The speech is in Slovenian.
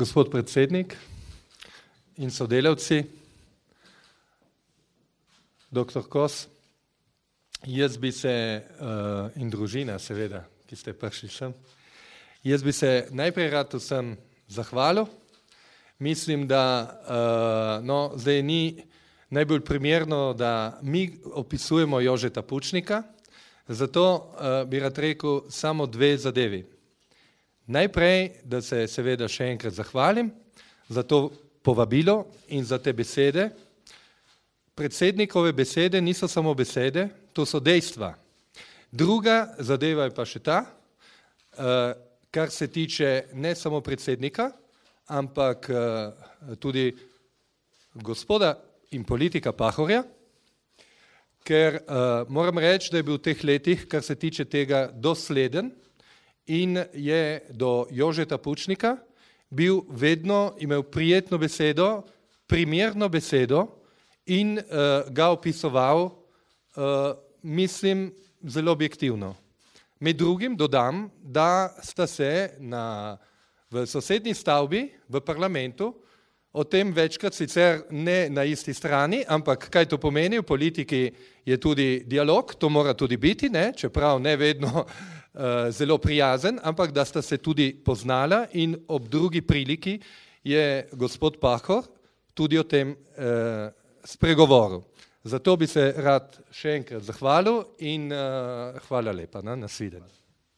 Gospod predsednik in sodelavci, doktor Kos, jaz bi se, in družina seveda, ki ste prišli sem, jaz bi se najprej rad vsem zahvalil. Mislim, da zdaj ni najbolj primerno, da mi opisujemo Jožeta Pučnika, zato bi rad rekel samo dve zadevi. Najprej, da se seveda še enkrat zahvalim za to povabilo in za te besede. Predsednikove besede niso samo besede, to so dejstva. Druga zadeva je pa še ta, kar se tiče ne samo predsednika, ampak tudi gospoda in politika Pahorja, ker moram reči, da je bil v teh letih, kar se tiče tega, dosleden in je do Jožeta Pučnika bil vedno imel prijetno besedo, primerno besedo in ga opisoval, mislim, zelo objektivno. Med drugim dodam, da sta se v sosednji stavbi v parlamentu o tem večkrat sicer ne na isti strani, ampak kaj to pomeni, v politiki je tudi dialog, to mora tudi biti, ne? Čeprav ne vedno zelo prijazen, ampak da sta se tudi poznala in ob drugi priliki je gospod Pahor tudi o tem spregovoril. Zato bi se rad še enkrat zahvalil in hvala lepa, nasvidenje.